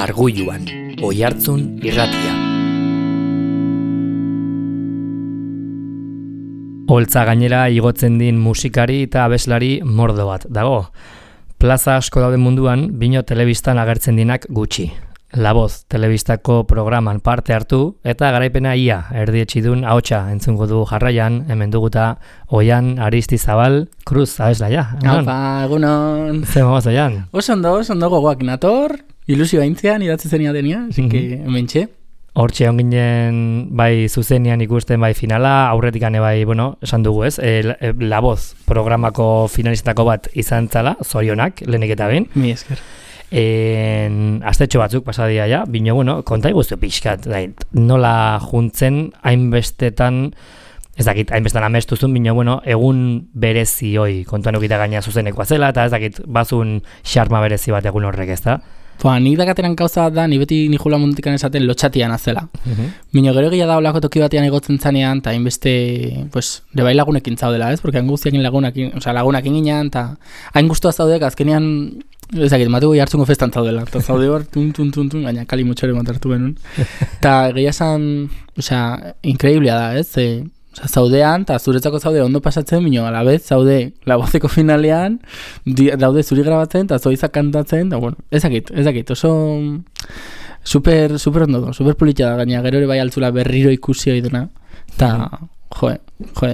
Arguluan, Oihartzun irratia. Holtza gainera igotzen din musikari eta abeslari mordo bat dago. Plaza asko dauden munduan, bino telebistan agertzen dinak gutxi. La Voz telebistako programan parte hartu eta garaipena ia erdietxidun ahotsa entzungo du jarraian, hemen duguta Oian Aristizabal Cruz abeslaia. Apa, egunon. Zer mogoz Oian? Oso ondo gogoak nator, ilusio haintzean idatzi zenia denia, así que hementxe. Hortxe onginen bai zuzenian ikusten bai finala, aurretikane bai, bueno, esan dugu ez, La Voz programako finalistako bat izan zala, zorionak, lehenik eta behin. Mi esker. Astetxo batzuk pasadia ja, bino, bueno, konta iguztu pixkat, nola juntzen hainbestetan, ez dakit, hainbestetan amestuzun, bino, bueno, egun berezi hoi, kontuan ukita gaina zuzenekoa zela, eta ez dakit, bazun xarma berezi bat egun horrek, ez da? Nik dakateran gauza bat da, ni beti nijula mundikan esaten lotxatian azela. Bino gero egia da olako toki batean egotzen zanean, eta hainbeste, pues, bai lagunekin zaudela, ez? Porque hain guztiakin lagunakin ginean, eta hain guztua zaudek, azkenean, ezakit, mateko jartzungo festan zaudela, eta zaude hor, tun, gaina kali mutxore matartu benun. Eta egia esan, increíblea da, ez? Zaudean, eta zuretzako zaude ondo pasatzen, bino, alabez, zaude La Vozeko finalean, daude zuri grabatzen, eta zoizak kantatzen, eta bueno, ezakit, oso super ondo do, super politxa da, gaina gero ere bai altzula berriro ikusi hori duna, eta,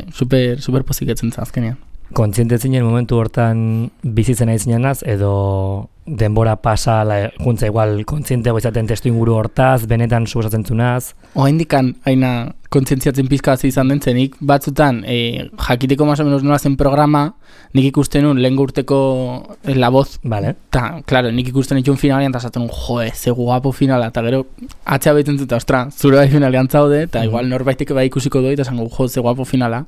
super poziketzen azkenean. Kontziente zinen momentu hortan bizitzen ari zinenaz, edo denbora pasa, juntza igual kontziente goizaten testu inguru hortaz, benetan suposatzen zunaz? Oaindikan, haina kontzientziatzen pizkazi izan den zenik, batzutan, jakiteko más o menos nola zen programa, nik ikusten nun lehen urteko La Voz, vale. Ta, claro, nik ikusten itxun finalean, eta esaten nun, ze guapo finala, eta gero, atxea behitzen zuta, ostra, zure bai finalean zaude, eta igual norbaitek bai ikusiko doi, eta esango, ze guapo finala,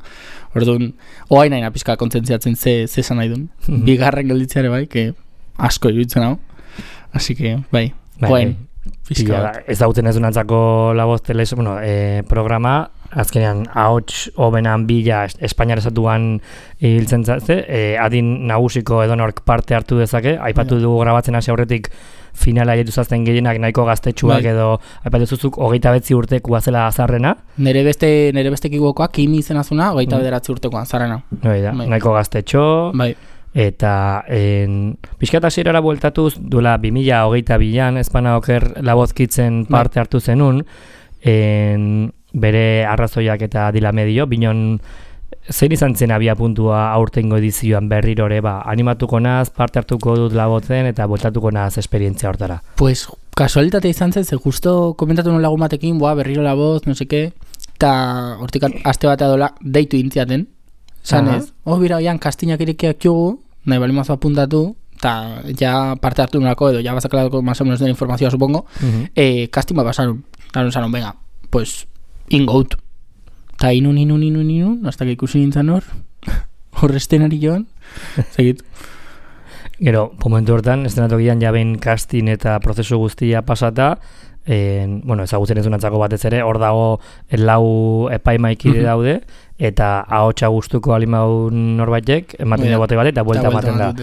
orduan, oain haina pizka kontzientziatzen ze esan nahi duen, bigarren gelditzeare bai, que asko iruditzen hau, así que, bai, oain, pizka bat. Ez dauten ez dunantzako La Voz programa, azkenean ahots hobenan bila Espainiar estatuan hiltzen zatze, adin nagusiko edonork parte hartu dezake, aipatu dugu grabatzen hasi aurretik finala jaituz azten gehienak nahiko gaztetxuak edo aipatu zuzuk 29 urtekoa zela azarrena. Nere beste kibukoak Kimi izen azuna 29 urtekoa azarrena. Nahiko gaztetxo. Bai. Eta pixkat hasierara bueltatuz duela 2022an Espana Oker La Voz kitzen parte hartu zenun, bere arrazoiak eta dila medio, binon zein izan zen abia puntua aurtengo edizioan berrirore, animatuko naz, parte hartuko dut La Vozen eta bueltatuko naz esperientzia hortara. Pues kasualitate izan zen, ze justo komentatu nun lagun batekin, berriro La Voz, no seke, eta hortik aste batea dola deitu intziaten, zanez, bira, oian kastinak irekiak jugu, nahi bali mazo apuntatu, eta ja parte hartu nolako edo, ja bazakalako más o menos den informazioa, supongo, kastin bat pasaron, zanon, venga, pues, ingout. Ta inun, hasta que ikusi nintzen hor estenari joan, segit. Gero, momentu hortan, estenatokian jabein kastin eta prozesu guztia pasata, ezagutzen ez dunantzako batez ere, hor dago lau epaimaikide daude, eta ahotsa gustuko alimaun norbaitek, ematen dagoate bat, eta buelta ematen da.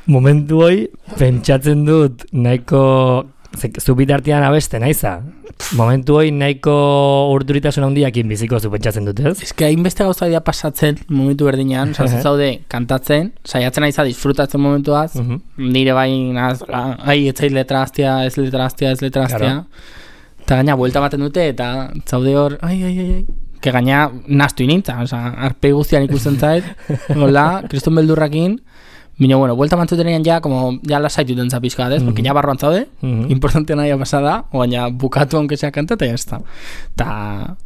Momentu hoi, pentsatzen dut, nahiko zubitartean abeste naiza. Momentu hoi nahiko urduritasun handiakin biziko pentsatzen dut, ez? Ez que hainbeste gauza dira pasatzen momentu berdinean, zaude kantatzen, saiatzen aiza disfrutatzen momentuaz, nire bai etzait letra hastia, ez letra hastia, eta gaina buelta baten dute, eta zaude hor, que gaina nastu inintza, arpei guztian ikusten zait, hola, kriston beldurrakin, bino, buelta mantzutenean ja lasaitu den zapizka, ez? Porque ja barroan zaude, importante nahi pasada, oaina bukatu aunque sea kanta, eta jazta. Ta,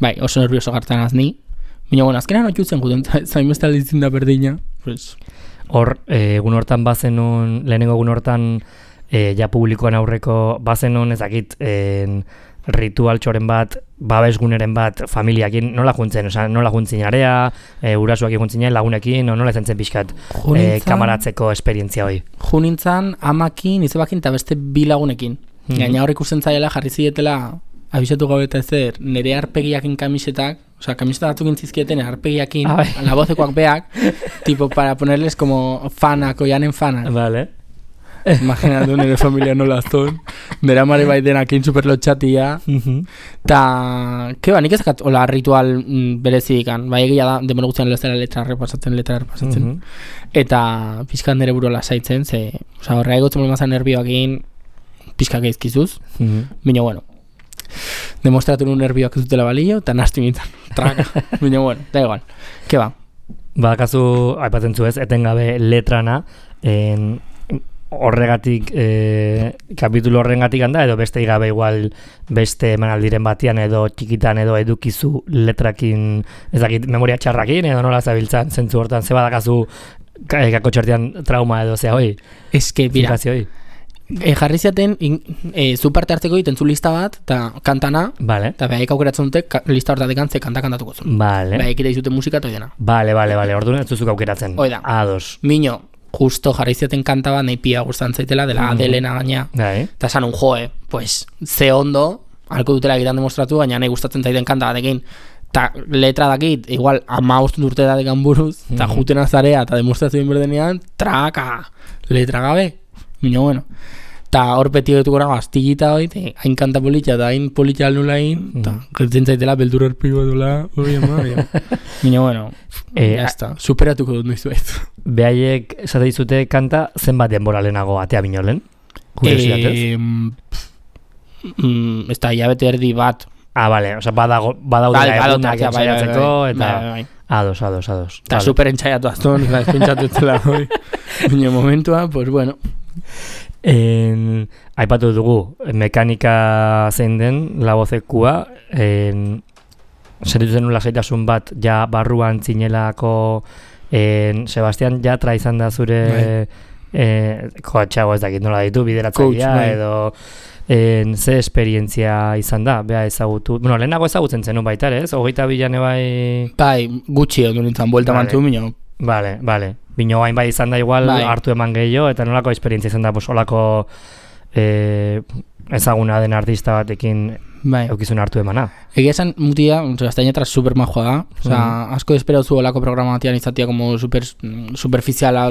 bai, oso nervioso gartan azni. Bino, azkenan otxutzen guten, zainbeste alditzen da berdina. Hor, egun hortan bazenun, lehenengo egun hortan, ja publikoan aurreko bazenun, ezakit, ritual txoren bat, babesguneren bat, familiakin, nola juntzen, nola juntzin area, urasuakin juntzin lagunekin, nola izan zen pixkat kamaratzeko esperientzia hoi? Junintzan, amakin, izebakin, eta beste bi lagunekin. Gaina hor ikusten zaiela, jarri zietela, abisatu gabe eta ezer, nire arpegiakin kamisetak, kamiseta batzuk intzizkieten arpegiakin, La Vozekoak beak, tipo, para ponerles como fanak, oianen fanak. Vale. Imaginatu nire familia nola zon. Bera mare baitenakin superlotxatia. Ta, nik ezakat hola ritual berezidikan. Bai egia da, demora guztian letra repasatzen. Eta pixkan nire buru lasaitzen, ze, horrega egotzen molmazan nervioakin pixka geizkizuz. Bino, bueno, demostratu nun nervioak ez dutela balio, eta nasti mintan, traka. Bino, bueno, da igual. Ke ba? Kasu, aipatzen zu ez, etengabe letrana, horregatik, kapitulo horrengatik handa, edo beste igabe igual beste emanaldiren batian, edo txikitan, edo edukizu letrakin, ez dakit, memoria txarrakin, edo nola zabiltzan, zentzu hortan, ze badakazu kako txartean trauma edo zea hoi? Ez que, bira, jarri zaten, zu parte hartzeko egiten zu lista bat, eta kantana, eta behaik aukeratzen dute lista hortatik antze kantatuko zuen. Behaik ere izuten musika eta oidena. Orduan ez duzuk aukeratzen. Oida. Ados. Mino, justo jarri zaten kanta bat nahi pia gustan zaitela, dela Adelena gaina. Eta esan un joe, pues, ze ondo, halko dutela egitan demostratu, baina nahi gustatzen zaiten kanta batekin. Eta letra dakit, igual, 15 urte da dekan buruz, eta juten azarea, eta demostrazioen berdenean, traka, letra gabe. Mino, bueno. Ta hor beti getuko nago astillita hoi, hain kanta politxa eta hain politxa alnula hain, eta gertzen zaitela beldur erpigo edula, Mino, bueno, jazta, superatuko dut noizu ez. Behaiek esate dizute kanta zenbat denbora lehenago atea binolen? Kuriositatez? Ez da, hilabete erdi bat. Bale, oza, badaudela egunak entzaiatzeko, eta... Ados. Eta super entzaiatu azton, pentsatu etzela hoi. Mino momentua, pues bueno... Aipatu dugu mekanika zein den labozekua, sentitu zenun lasaitasun bat ja barruan zinelako. Sebastian Yatra izan da zure koatxago ez dakit nola ditu bideratzailea edo ze esperientzia izan da, beha ezagutu, lehenago ezagutzen zenun baita ez, 22 bai, gutxi ondu nintzen, buelta mantzu minio. Bale, bino hain bai izan da igual hartu eman gehiago, eta nolako esperientzia izan da, olako ezaguna den artista batekin eukizun hartu emana. Egia esan mutia, Sebastian Yatra super majoa da, asko espero zu olako programa batian izatea como superficiala,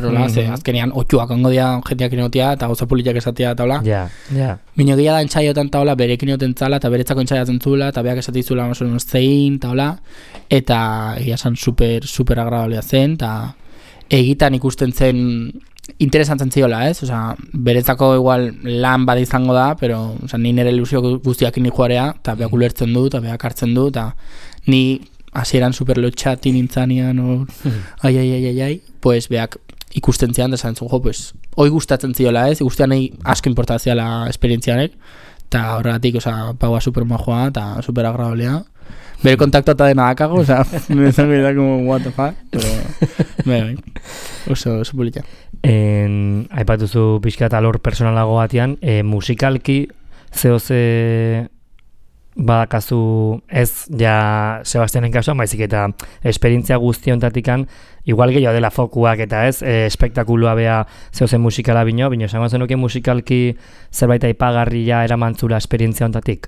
azkenean otxuak ongo dia jenteak inotia, eta gauza politiak esatea eta hola. Bino egia da entzaiotan eta hola, berekin inoten zala, eta beretzako entzaiatzen zula, eta beak esatizula zein, eta hola, eta egia esan super agradablea zen, eta egitan ikusten zen interesantzen ziola, ez? Osa, beretzako igual lan bat izango da, pero ni nire ilusio guztiak ni joarea, eta beak ulertzen du, eta beak hartzen du, eta ni hasieran superlotxati nintzanean, ai, pues beak ikusten zian, da zantzun, pues, hoi gustatzen ziola, ez? Guztian nahi asko importazia la esperientzianek, eta horregatik, osa, paua super majoa, eta super agradablea. Bere kontaktu eta dena dakago, oza, me zango da como what the fuck, pero oso polita. Aipatuzu pixka eta lor personalago batean, musikalki ze badakazu ez ja Sebastianen kasuan, baizik eta esperientzia guztiontatikan, igual gehiago dela fokuak eta ez, espektakulua bea zehozen musikala bino esango zenuke musikalki zerbait aipagarria eramantzula esperientzia ontatik?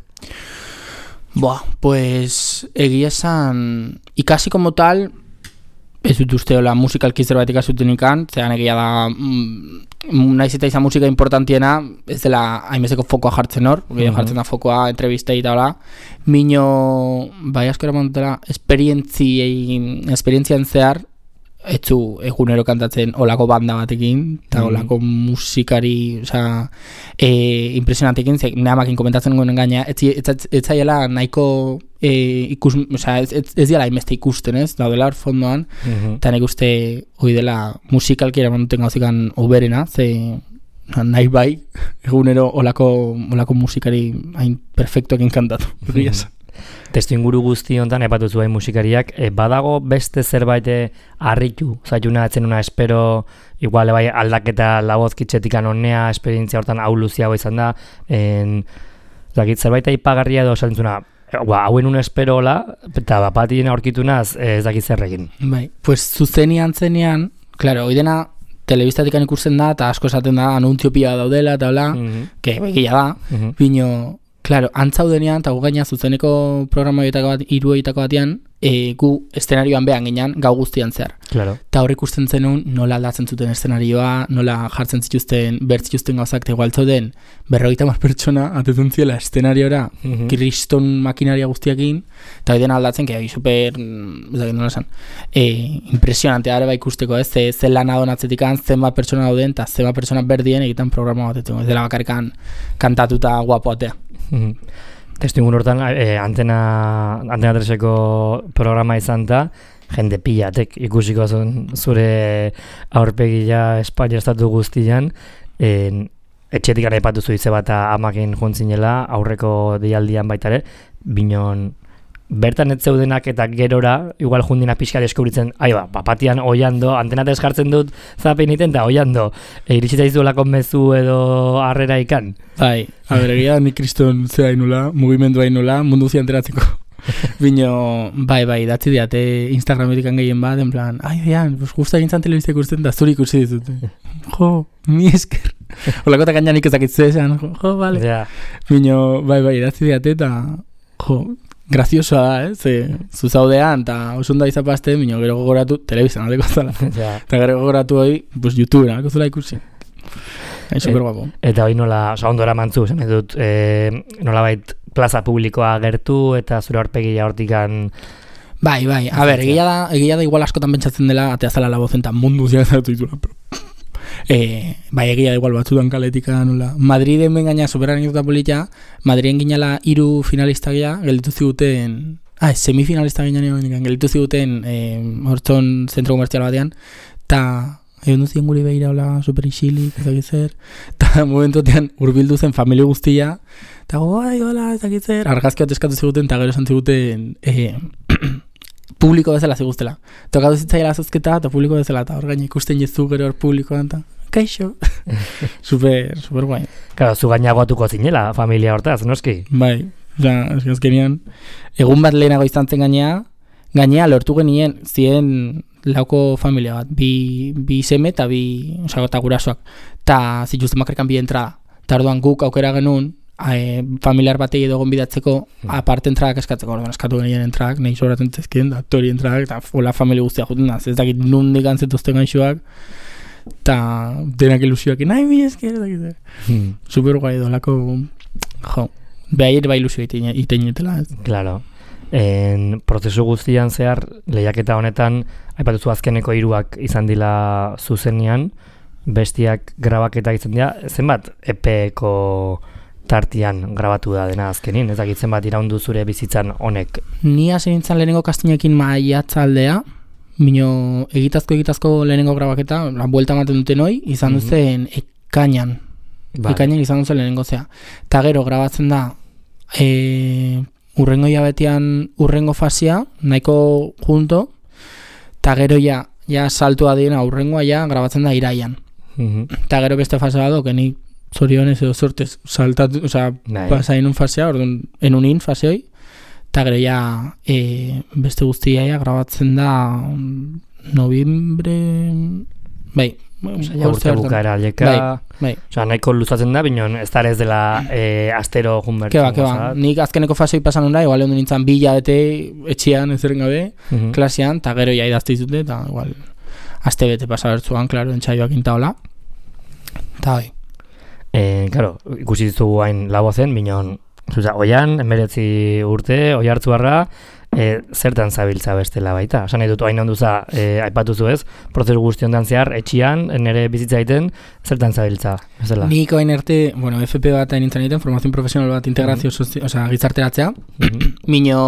Pues egia esan ikasi como tal ez dut uste hola musikalki zerbait ikasuten ikan, zean egia da naiz eta izan musika importantiena ez dela hainbezeko fokoa jartzen hor, jartzen da fokoa entrevistei eta hola, mino bai asko eramantela esperientzian zehar etzu egunero kantatzen olako banda batekin eta olako musikari impresionantekin, nahamakin komentatzen gonen gaina ez zaiela nahiko ez diala hainbeste ikusten ez, daudela hor fondoan eta nik uste hoi dela musikalki eramanuten gauzikan oberena, ze nahi bai egunero olako musikari hain perfektuekin kantatu. Testu inguru guzti honetan epatu zuen musikariak, badago beste zerbait harritu, zaituna etzen una espero, igual bai aldaketa labozkitzetikan honea, esperientzia hortan auluziago izan da, zerbait aipagarria edo esantzuna, hauen un espero hola, eta bapatien aurkitunaz ez dakit zerrekin. Bai, pues zuzenian zenean, claro, hoi dena telebistatikan ikusten da, eta asko esaten da, anuntzio pila daudela, eta hola, que begia da, bino, Claro, antzaudenean, eta gu gaina zuzeneko programa hiruetako batean, gu eszenarioan behan ginean, gau guztian zehar. Claro. Eta hor ikusten zenun, nola aldatzen zuten eszenarioa, nola jartzen zituzten, bertzituzten gauzak, eta igual zauden, 50 pertsona, atetzen ziela eszenariora, kriston makinaria guztiakin, eta hori dena aldatzen, que super, nola esan, impresionante araba ikusteko, ze lan adonatzetikan, zenbat pertsona dauden, eta zenbat pertsona berdien egiten programa batetzen, ez dela bakarrikan kantatuta guapoatea. Testuingun hortan, Antena 3eko programa izan da, jende pilatek ikusiko zure aurpegia Espainia estatu guztian, etxetik gara ipatu zuize bat amakin juntzinela, aurreko deialdian baita ere, binon bertan ez zeudenak eta gerora, igual jundina pixka deskubritzen, papatian oiando, Antena 3 jartzen dut zapein iten, eta oiando, iritsita izuelako mezu edo harrera ikan. Bai, egia, nik kriston zera inula, mugimendu hainula, mundu zian teratzeko. Bino, bai, datzi diate Instagrametik gehien bat, en plan, guzta egintzan telebizia ikusten, da zuri ikusi ditut. Jo, mi esker. Olako eta gainan ikezakitzea esan, jo, vale. Yeah. Bino, bai, datzi diate, eta, jo, graziosoa da, zuzaudean, eta osunda izapazte, bino, gero gogoratu, telebizan aldeko zala. Eta gero gogoratu hori, pues, YouTubeen aldeko zela ikusi. Super guapo. Eta hori nola, ondora mantzu, zen dut, nola bait plaza publikoa gertu, eta zure aurpegia hortikan... Bai, egia da igual askotan pentsatzen dela, atea zala la vozen, eta mundu ziak zatu ditula, bai, egia da igual batzutan kaletika nola. Madriden bengaina superan eta polita, Madriden ginala 3 finalista gea, gelditu ziguten, semifinalista ginean gelditu ziguten hortzon zentro komertzial batean, eta egon duzien guri behira hola super isilik, ezakizer, eta momentotean urbildu zen familia guztia, eta hola, ezakizer, argazki bat eskatu ziguten, eta gero esan ziguten publiko bezala ziguztela. Tokatu zitzaila zozketa, eta publiko bezala, eta hor gaina ikusten jezu gero hor publikoan, eta kaixo. super guai. Claro, zu gainagoatuko zinela, familia hortaz, noski? Bai, azkenean, egun bat lehenago izan zen gainea lortu genien, zien lauko familia bat, bi seme eta eta gurasoak, eta zituzten bakarkan bi entrada. Eta orduan guk aukera genuen, familiar batei edo gonbidatzeko aparte entradak eskatzeko, orduan eskatu genien entradak, nahi sobratzen zezkien, da tori entradak, eta hola familia guztia juten da, ez dakit nundik antzetuzten gaixoak, eta denak ilusioak, nahi mi esker, super guai dolako, behaier bai ilusio iteinetela. Claro. Prozesu guztian zehar, lehiaketa honetan, aipatuzu azkeneko 3 izan dila zuzenean, bestiak grabaketa izan dira, zenbat epeko tartian grabatu da dena azkenin, ez dakitzen bat iraundu zure bizitzan honek? Ni hasi nintzen lehenengo kastinekin maiatza aldea, bino egitazko lehenengo grabaketa, la buelta ematen duten hoi, izan duzen ekainan. Ekainan izan duzen lehenengo zea. Ta gero grabatzen da urrengo hilabetean urrengo fasia, nahiko junto, ta gero ja saltua diena urrengoa ja grabatzen da iraian. Ta gero beste fase bat nik zorionez edo sortez saltatu, pasain un fasea, orduan enunin fase hoi, eta gero ja beste guztia ja grabatzen da noviembre, bai, urte bukaera aldeka, nahiko luzatzen da, binon ez da ez dela astero junbertzen. Keba, nik azkeneko fasei pasan da, igual egon nintzen 2 hilabete etxean ezeren gabe, klasean, eta gero ja idazte izute, eta igual aste bete pasabertzuan, klaro, entxaioak intaola, eta bai. Claro, ikusi ditugu hain lago zen, binon, oian, 19 urte, oi hartzuarra, zertan zabiltza bestela baita. Esan nahi dut, hain onduza, aipatuzu ez, prozesu guzti ondan zehar, etxian, nire bizitza egiten, zertan zabiltza, bezala? Nik hain arte, FP bat hain nintzen egiten, formazion profesional bat integrazio, gizarteratzea, mino,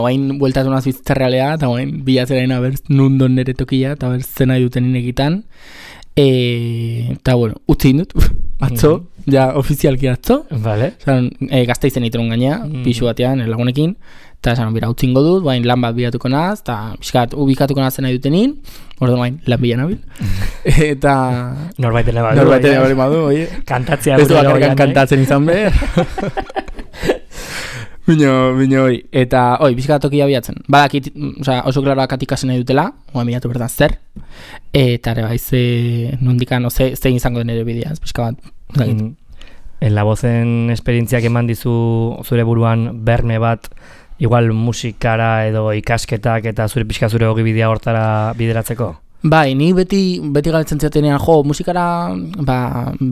hain bueltatu naz bizitza realea, eta hain bilatzera ina berz, nundon nire tokia, eta berz zena duten inegitan, eta utzi indut, atzo, ja ofizialki atzo, vale. Gazta izen itun gaina, pixu batean, lagunekin, eta esan, bera, utzingo dut, lan bat bilatuko naz, eta pixkat ubikatuko nazen nahi dutenin, orduan, lan bila nabil, eta... Norbaiten badu, oie. Kantatzea. Ez du bakarkan kantatzen izan behar. Bino hoi, eta pixkat tokia bilatzen. Badakit, oso klaroak atikasen nahi dutela, oa bilatu bertan zer, eta ere bai, nondikan, zein izango den ere bidea, pixka bat. La Vozen esperientziak eman dizu zure buruan berme bat, igual musikara edo ikasketak eta zure ogibidea hortara bideratzeko? Bai, ni beti galetzen ziatenean, musikara,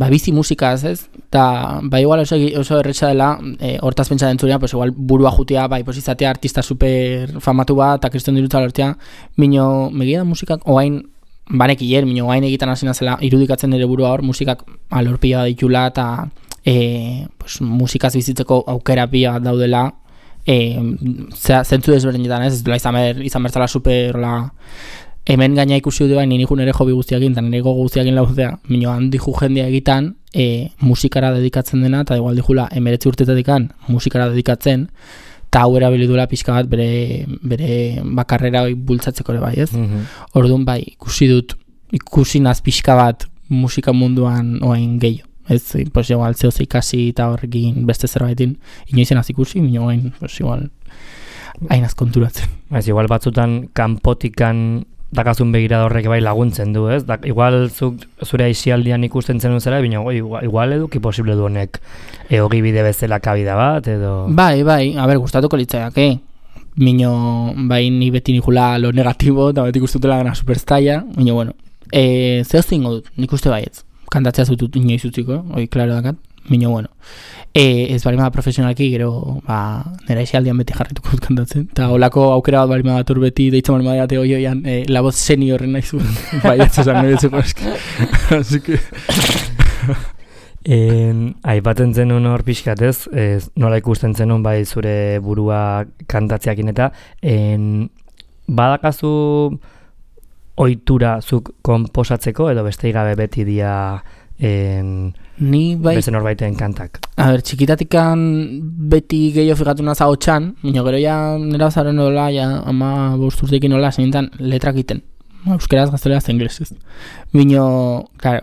bizi musikaz, ez? Eta, igual oso erretxa dela, hortaz pentsa dentzurean, pues igual burua jutea, pues izatea artista super famatu bat, eta kriston dirutza lortea, mino, megia da musikak, oain, banekiller, mino, oain egitan hasi nazela, irudikatzen nire burua hor, musikak alorpila ditula, eta pues, musikaz bizitzeko aukera pila daudela, zentzu desberdinetan, ez duela izan bertzala super, hemen gaina ikusi dut bain, nire ere hobi guztiakin, eta nire gogo guztiakin lauzea, minio handi jendia egitan, musikara dedikatzen dena, eta igual dijula, 19 urtetatikan musikara dedikatzen, eta hau erabilidula pixka bat bere bakarrera bultzatzeko ere bai, ez? Orduan bai, ikusi naz pixka bat musika munduan oain gehiago. Ez, pues igual zehose ikasi eta horrekin beste zerbaitin inoizen az ikusi, minio oain, pues igual hainaz konturatzen. Ez, igual batzutan kanpotikan dakazun begirada horrek bai laguntzen du, ez? Igual zure aizialdian ikusten zenun zera, bina igual eduki posible du honek ogibide bezala kabida bat, edo... Bai, gustatuko litzaiak, Mino, ni beti nikula lo negatibo, eta beti gustutela gana superstaia, mino, bueno, zehozte ingo dut, nik uste baietz, kantatzea zutut inoiz utziko, klaro dakat, mino, bueno, ez barima profesionalki, gero, nera aizialdian beti jarrituko dut kantatzen, eta holako aukera bat barima batur beti, deitzen barima date oioian, la voz seniorren nahi zuen, baietz esan niretzeko eski, así que... Aipaten zenun hor pixkatez, nola ikusten zenun bai zure burua kantatzeakin eta badakazu ohitura zuk konposatzeko edo beste gabe beti dia ni bai beste norbaiten kantak. A ber, txikitatikan beti gehiago figatu naza hotxan, minio gero ja nera zaren nola, ja ama bosturtekin nola, zenintan letrak iten. Euskeraz gazteleaz inglesez. Minio, claro,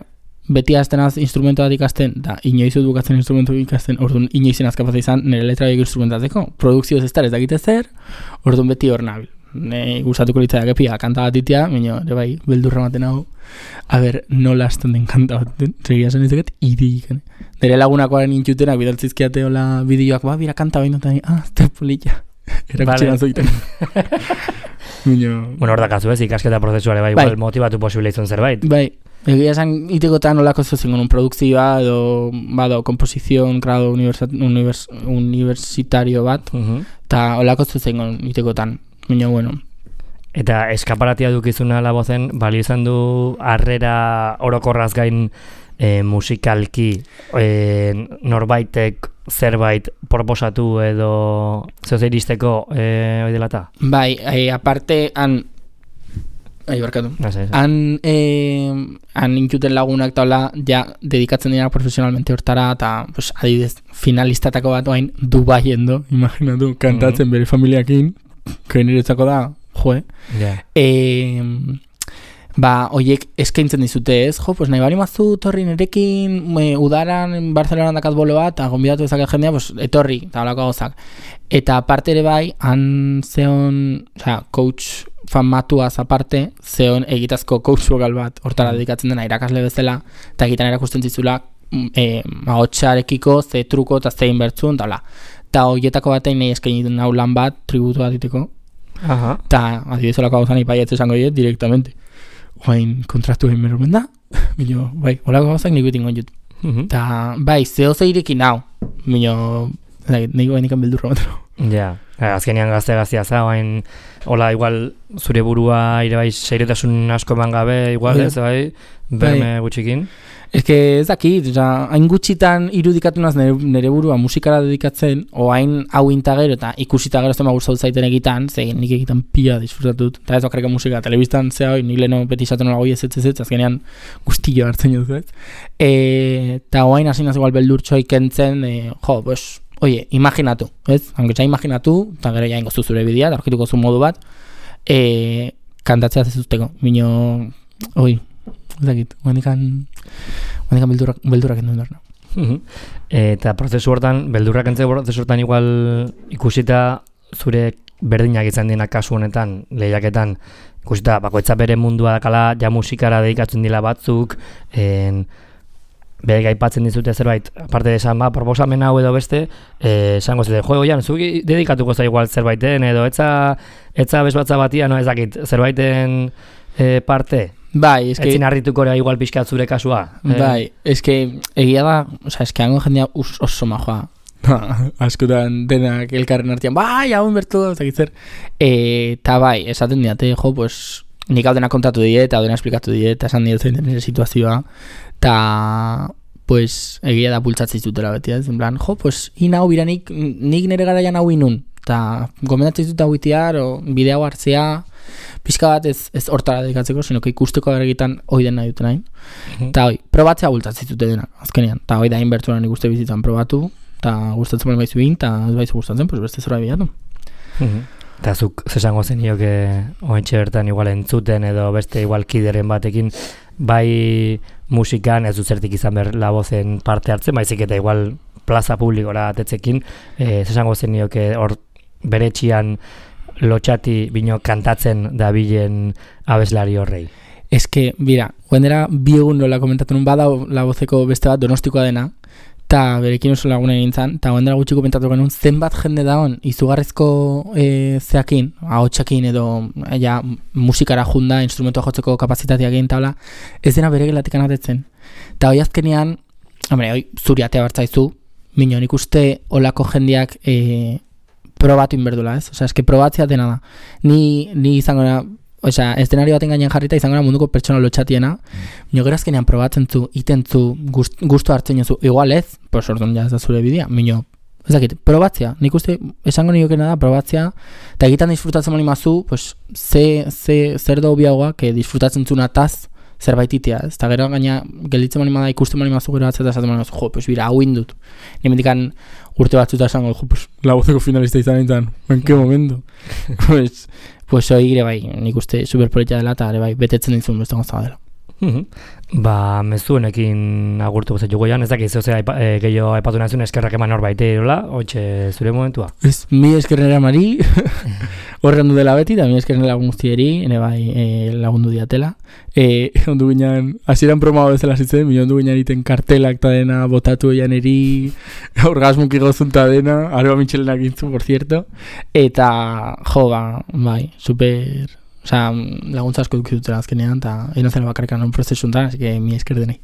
beti aztenaz instrumentu bat ikasten, da inoizut bukatzen instrumentu ikasten, orduan inoizen azkapaz izan nire letra egin instrumentatzeko. Produkzioz ez dakite zer, orduan beti hor nabil. Gustatuko litzaiak epia kanta bat itea, minio, ere bai, beldurra maten hau, a ber, nola hasten den kanta bat den, segia zen izaket, irik. Nire lagunakoaren intxutenak bidaltzizkiate hola bideoak, bira kanta baino, eta azte polilla. Erakutxe nazoiten. Bueno, hor dakazu ez, ikasketa prozesuare bai, motivatu posible izan zerbait. Bai, egia esan itekotan olako zuzen un produkzioa edo komposizion grado universitario bat, eta olako zuzen itekotan. Baina, bueno. Eta eskaparatia dukizuna La Vozen, balio izan du harrera orokorraz gain musikalki norbaitek zerbait proposatu edo zehose iristeko oidelata? Bai, aparte han intxuten lagunak taula ja dedikatzen dira profesionalmente hortara eta pues, adibidez finalistatako bat oain Dubaien do, imaginatu, kantatzen bere familiakin niretzako da, oiek eskaintzen dizute ez, pues nahi bari mazu torri nerekin udaran Barcelonan dakat bolo bat, gonbidatu ezak jendea, pues etorri, eta holako gauzak. Eta aparte ere bai, han zeon, coach famatuaz aparte, zeon egitazko coach vokal bat, hortara dedikatzen dena irakasle bezala, eta egitan erakusten zizula hotxarekiko, ze truko eta zein bertzun, eta horietako batein nahi eskainiten hau lan bat, tributu bat diteko. Eta adibidez olako gauzan ipaietz esango diet direktamente. Oain kontraktu egin berromen da, minio, bai, olako gauzak nik betin gonjut. Eta, bai, zehoze irekin hau, minio, niko gainikan beldurra bat. Ja, azkenean gazte-gaztea za, oain, hola, igual, zure burua ere bai seiretasun asko eman gabe, igual, ez, bai, berme gutxikin. Ez que ez dakit, hain gutxitan irudikatu naz nire burua musikara dedikatzen, oain hau intagero eta ikusita gero ez dema gustatu zaiten egitan, zein nik egitan pila disfrutatut, eta ez bakarrik musika, telebistan zea hoi, nik leheno beti izaten nola goi ez, azkenean guztillo hartzen joduz, ez? Eta oain hasi naz igual beldurtxoi kentzen, pues, oie, imaginatu, ez? Hanketxa imaginatu, eta gero ja ingoztu zure bidea, eta orkituko zu modu bat, kantatzea zezuzteko, minio, oi, ez dakit, guandikan beldurrak endu behar. Eta prozesu hortan, beldurrak entzeko prozesu hortan igual ikusita zure berdinak izan dina kasu honetan, lehiaketan, ikusita bakoitza bere mundua dakala, ja musikara dedikatzen dila batzuk, Berek aipatzen dizute zerbait, aparte de esan, proposamen hau edo beste, esango zuten, oian, zuki dedikatuko za igual zerbaiten, edo etza bezbatza batia, no, ez dakit, zerbaiten parte? Bai, eske... Etzin harrituko igual pixkat zure kasua? Bai, eske, egia da, oza, eske hango jendea oso majoa. Askotan denak elkarren artean, bai, hau inbertu, ez dakit zer. Eta bai, esaten diate, pues, nik hau dena kontatu diet, hau dena esplikatu diet, esan diet zein den situazioa, eta, pues, egia da bultzatzen zutela beti, ez? En plan, pues, inau biranik, nik nire garaian hau inun, eta gomendatzen zut hau itiar, o bidea hau hartzea, pixka bat ez hortara dedikatzeko, sino que ikusteko agergitan hoi den nahi duten hain. Eta hoi, probatzea bultzatzen zute denak, azkenean, eta hoi da inberturan nik uste bizitzan probatu, eta gustatzen bali baizu egin, eta ez baizu gustatzen, pues beste zora bilatu. Eta zuk zesango zenioke oentxe bertan igual entzuten edo beste igual kideren batekin bai musikan ez dut zertik izan behar labozen parte hartzen, baizik eta igual plaza publikora atetzekin, zesango zenioke hor bere txian lotxati bino kantatzen dabilen abeslari horrei. Eske, bira, guendera bi egun nola komentatu nun badau labozeko beste bat donostikoa dena, eta berekin oso lagunen gintzen, eta guendera gutxiko komentatu genuen zenbat jende daon izugarrezko zeakin, ahotsakin edo ja, musikara junda, instrumentua jotzeko kapazitateakin, eta ez dena bere gelatik anatetzen. Eta hoi azkenean, hoi zuri atea bartzaizu, mino, nik uste olako jendeak probatu inberdula, ez? Osea, eske probatzea dena da. Ni izango da, osea, eszenario baten gainean jarrita izango da munduko pertsona lotxatiena, mino gero azkenean probatzen zu, iten zu, gustu hartzen zu, igual ez, pues orduan ja ez da zure bidea, mino, ez dakit, probatzea, nik uste esango niokena da, probatzea, eta egitan disfrutatzen mani mazu, pues, zer da obiagoa, que disfrutatzen zuna taz, zerbait itea, ez? Eta gero gaina gelditzen mani da ikusten mani mazu gero batzeta esaten mani mazu, pues bira, hau indut. Ni mendikan urte batzuta esango, pues labozeko finalista izan nintzen, en que momento. Pues hori gire bai, nik uste superpolitia dela eta bai, betetzen dintzun beste gozaba dela. Mezuenekin agurtu gozatu goian, ez dakiz, gehiago aipatu nazun eskerrak eman hor baite erola, hoitxe zure momentua? Ez, mi eskerrera mari, horren du dela beti, eta mi eskerren lagun guztieri, ene bai lagundu diatela. Ondu ginen, hasieran promao bezala zitzen, mi ondu ginen iten kartelak eta dena, botatu eian eri, orgasmuki gozunta dena, arba mitxelenak gintzu, por cierto, eta jo, bai, super... Osea, laguntza asko dukizutela azkenean, eta inozela bakarrikan un prozesu untan, así que mi esker denei.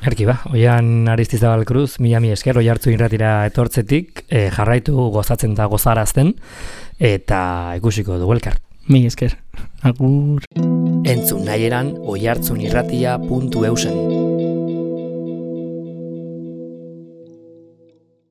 Erki ba, oian Aristizabal Cruz, mi esker, oi hartzu irratira etortzetik, jarraitu gozatzen eta gozarazten, eta ikusiko dugu elkar. Mi esker, agur. Entzun nahieran oihartzunirratia.eusen.